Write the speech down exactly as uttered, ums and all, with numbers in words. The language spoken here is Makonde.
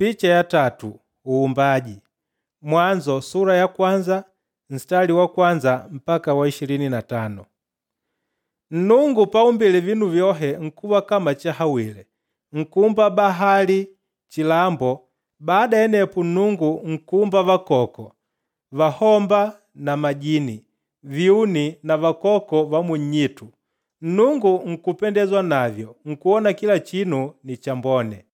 Picha ya tatu uumbaji. Mwanzo sura ya kwanza nstari wa kwanza mpaka wa ishirini na tano. Nnungu paumbile vinu vyohe nkuva kama chahawile, nkuumba bahali, chilambo, baada ya anepo Nnungu nkuumba vakoko, vahomba na majini, vyuni na vakoko va munnyitu. Nnungu nkupendezwa navyo, nkwona kila chinu ni chambone.